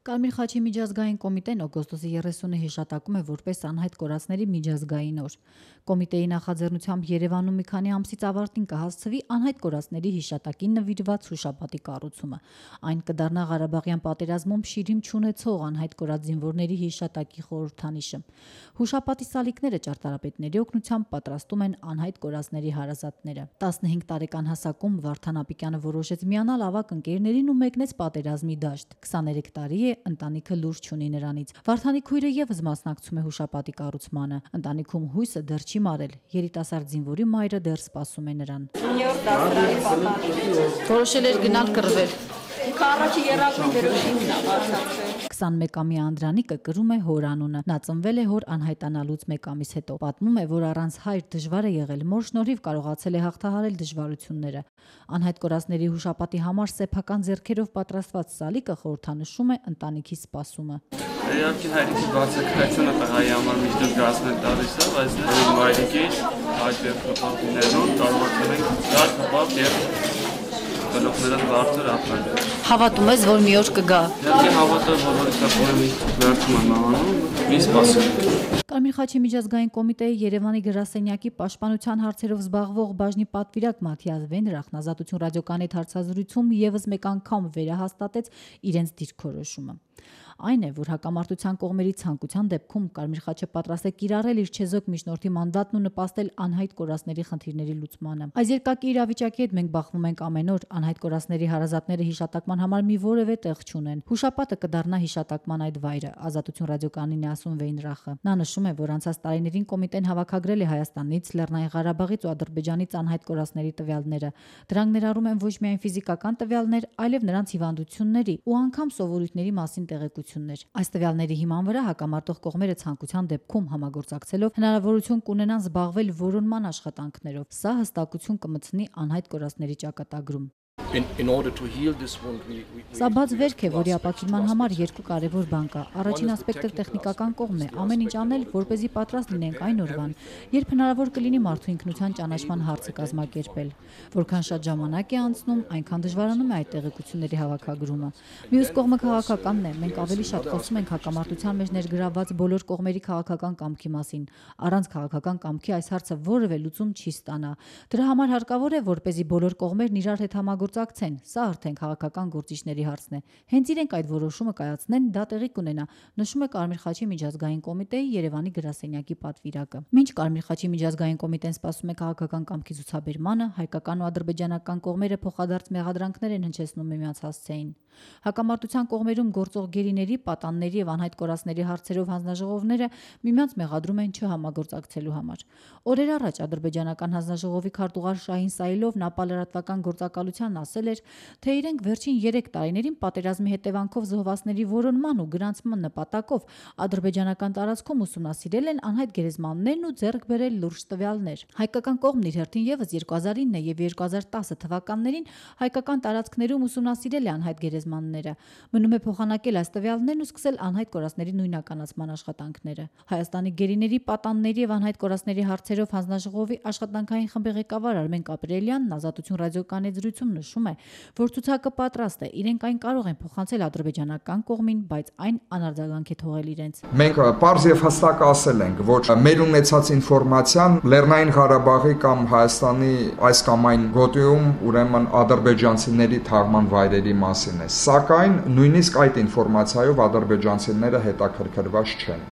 Կարմիր խաչի միջազգային կոմիտեն օգոստոսի 30-ը հիշատակում է որպես անհայտ կորածների միջազգային օր։ Կոմիտեի նախաձեռնությամբ Երևանում մի քանի ամսից ավարտին կհասցվի անհայտ կորածների հիշատակին նվիրված հուշապատի կառուցումը։ Այն կդառնա Ղարաբաղյան պատերազմում շիրիմ չունեցող անհայտ կորած զինվորների հիշատակի խորհրդանիշը։ Հուշապատի սալիկները ճարտարապետների օգնությամբ պատրաստում են անհայտ կորածների հարազատները։ 15 տարեկան հասակում Վարդան Ապիկյանը որոշեց միանալ ավագ ընկերներին ու մեկնեց պատերազմի դաշտ։ 23 տարի է ընտանիքը լուրջ չունի նրանից։ Վարդանի քույրը եւս մասնակցում է հուշապատի կառուցմանը։ Ընտանիքում հույսը դեռ չի մարել։ Երիտասարդ զինվորի մայրը դեռ սպասում է նրան։ Որոշել էր գնալ կռվել։ 21-ամյա Անդրանիկը կրում է հոր անունը։ Նա ծնվել է հոր անհայտանալուց մեկ ամիս հետո։ Պատմում է, որ առանց հայր դժվար է եղել, մոր շնորհիվ կարողացել է հաղթահարել դժվարությունները։ Անհայտ կորածների հուշապատի համար սեփական ձեռքերով պատրաստված սալիկը խորհրդանշում է ընտանիքի սպասումը։ Իհարկե հայրիկի բացակայությունը տղայի համար միշտ զգացնել տալիս է, բայց մայրիկի այդ դեպքերում կարողացել ենք գալ հապաղ եւ գլուխներս բարձր ապրել։ Հավատում ես, որ մի օր կգա։ Իհարկե հավատալ, որ որոշակի միշտ վերջում եմ անում, մի սպասում։ Կարմիր խաչի միջազգային կոմիտեի Երևանի գրասենյակի պաշտպանության հարցերով զբաղվող բաժնի պատվիրակ Մաթիաս Վենդրախն Ազատություն ռադիոկայանի հարցազրույցում եւս մեկ անգամ վերահաստատեց իրենց դիրքորոշումը։ Այն է, որ հակամարտության կողմերի ցանկության դեպքում Կարմիր խաչը պատրաստ է կիրառել իր չեզոք միջնորդի մանդատն ու նպաստել անհայտ կորածների խնդիրների լուծմանը։ Այս երկակի իրավիճակի հետ մենք բախվում ենք ամեն օր, անհայտ կորածների հարազատները հիշատակման համար մի որևէ տեղ չունեն։ Հուշապատը կդառնա հիշատակման այդ վայրը, Ազատություն ռադիոկայանին է ասում Վեյնրախը։ Նա նշում է, որ անցած տարիներին կոմիտեն հավաքագրել է Հայաստանից, Լեռնային Ղարաբաղից ու Ադրբեջանից անհայտ կորածների տվյալները։ Դրանք ներառում են ոչ միայն ֆիզիկական տվյալներ, այլև նրանց հիվանդությունների ու անգամ սովորույթների մասին տեղեկություններ։ Այս տվյալների հիման վրա հակամարտող կողմերը ցանկության դեպքում համագործակցելով հնարավորություն կունենան զբաղվել որոնման աշխատանքներով։ Սա հստակություն կմտցնի անհայտ կորածների ճակատագրում։ Սա բաց վերք է, որի ապաքինման համար երկու կարևոր բան կա։ Առաջին ասպեկտը տեխնիկական կողմն է, ամեն ինչ անել, որպեսզի պատրաստ լինենք այն օրվան, երբ հնարավոր կլինի մարդու ինքնության ճանաչման հարցը կազմակերպել։ Որքան շատ ժամանակ է անցնում, այնքան դժվարանում է այդ տեղեկությունների հավաքագրումը։ Մյուս կողմը քաղաքականն է, մենք ավելի շատ խոսում ենք հակամարտության մեջ ներգրավված բոլոր կողմերի քաղաքական կամքի մասին։ Առանց քաղաքական կամքի այս հարցը որևէ լուծում չի ստանա։ Դրա համար հարկավոր է, որպեսզի բոլոր կողմերն իրար հետ համագործակցեն, սա արդեն քաղաքական գործիչների հարցն է։ Հենց իրենք այդ որոշումը կայացնեն, դա տեղի կունենա, նշում է Կարմիր խաչի միջազգային կոմիտեի Երևանի գրասենյակի պատվիրակը։ Մինչ Կարմիր խաչի միջազգային կոմիտեն սպասում է քաղաքական կամքի ցուցաբերմանը, հայկական ու ադրբեջանական կողմերը փոխադարձ մեղադրանքներ են հնչեցնում միմյանց հասցեին։ Հակամարտության կողմերում գործող գերիների, պատանների եւ անհայտ կորածների հարցերով հանձնաժողովները միմյանց մեղադրում են չհամագործակցելու համար։ Օրեր առաջ ադրբեջանական հանձնաժողովի քարտուղար Շահին Սայլովն ապալրատվական գործակալությանն ասել էր, թե իրենք վերջին 3 տարիներին պատերազմի հետևանքով զոհվածների որոնման ու գրանցման նպատակով ադրբեջանական տարածքում ուսումնասիրել են անհայտ գերեզմաններն ու ձեռք բերել լուրջ տվյալներ։ Հայկական կողմն իր հերթին եւս 2009 եւ 2010 թվականներին հայկական տարածքներում ուսումնասիրել է անհայտ գերեզմանները։ Մնում է փոխանակել այս տվյալներն ու սկսել անհայտ կորածների նույնականացման աշխատանքները։ Հայաստանի գերիների, պատանների եւ անհայտ կորածների հարցերով հանձնաժողովի աշխատանքային խմբի ղեկավար Արմեն Կապրելյանն Ազատություն ռադիոկայանի զրույցում նշում է, որ ցուցակը պատրաստ է, իրենք այն կարող են փոխանցել ադրբեջանական կողմին, բայց այն անարձագանք է թողել իրենց։ Մենք պարզ եւ հստակ ասել ենք, որ մեր ունեցած ինֆորմացիան Լեռնային Ղարաբաղի կամ Հայաստանի այս կամ այն գոտիում ուրեմն ադրբեջանցիների թաղման վայրերի մասին է, սակայն նույնիսկ այդ ինֆորմացիայով ադրբեջանցիները հետաքրքրված չեն։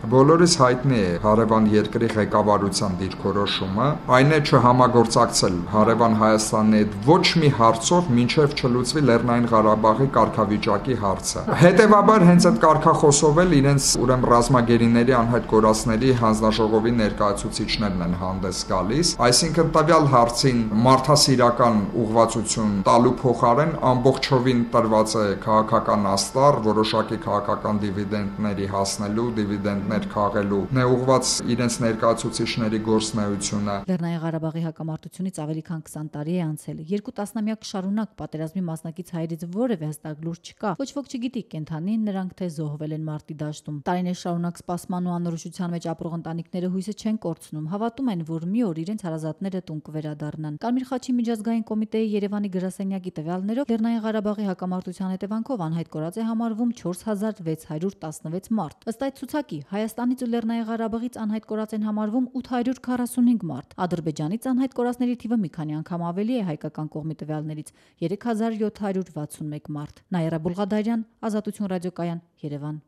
Բոլորիս հայտնի է հարևան երկրի ղեկավարության դիրքորոշումը, այն է չհամագործակցել հարևան Հայաստանի հետ ոչ մի հարցով, մինչև չլուծվի Լեռնային Ղարաբաղի կարգավիճակի հարցը։ Հետևաբար հենց այդ կարգախոսով էլ իրենց ուրեմն ռազմագերիների անհայտ կորածների հանձնաժողովի ներկայացուցիչներն են հանդես գալիս, այսինքն տվյալ հարցին մարդասիրական ուղղվածություն տալու փոխարեն ամբողջովին տրված է քաղաքական աստառ, որոշակի քաղաքական դիվիդենդների հասնելու, դիվիդենդներ դերակատարներ քաղելու նեուղված իրենց ներկայացուցիչների գործունեությունը։ Լեռնային Ղարաբաղի հակամարտությունից ավելի քան 20 տարի է անցել։ 2 տասնամյակ շարունակ պատերազմի մասնակից հայերից որևէ հստակ լուր չկա։ Ոչ ոք չգիտի կենթանի նրանք թե զոհվել են մարտի դաշտում։ Տարիներ շարունակ սպասման ու անորոշության մեջ ապրող ընտանիքները հույսը չեն կորցնում, հավատում են, որ մի օր իրենց հարազատները տուն կվերադառնան։ Կարմիր խաչի միջազգային կոմիտեի Երևանի գրասենյակի տվյալներով Լեռնային Ղարաբաղի հակամարտության հետևանքով անհայտ կորած է համարվում 4616 մարդ։ Ըստ այդ ցուցակի Հայաստանից ու Լեռնային Ղարաբաղից անհայտ կորած են համարվում 845 մարդ։ Ադրբեջանից անհայտ կորածների թիվը մի քանի անգամ ավելի է հայկական կողմի տվյալներից՝ 3761 մարդ։ Նաիրա Բուլղադարյան, Ազատություն ռադիոկայան, Երևան։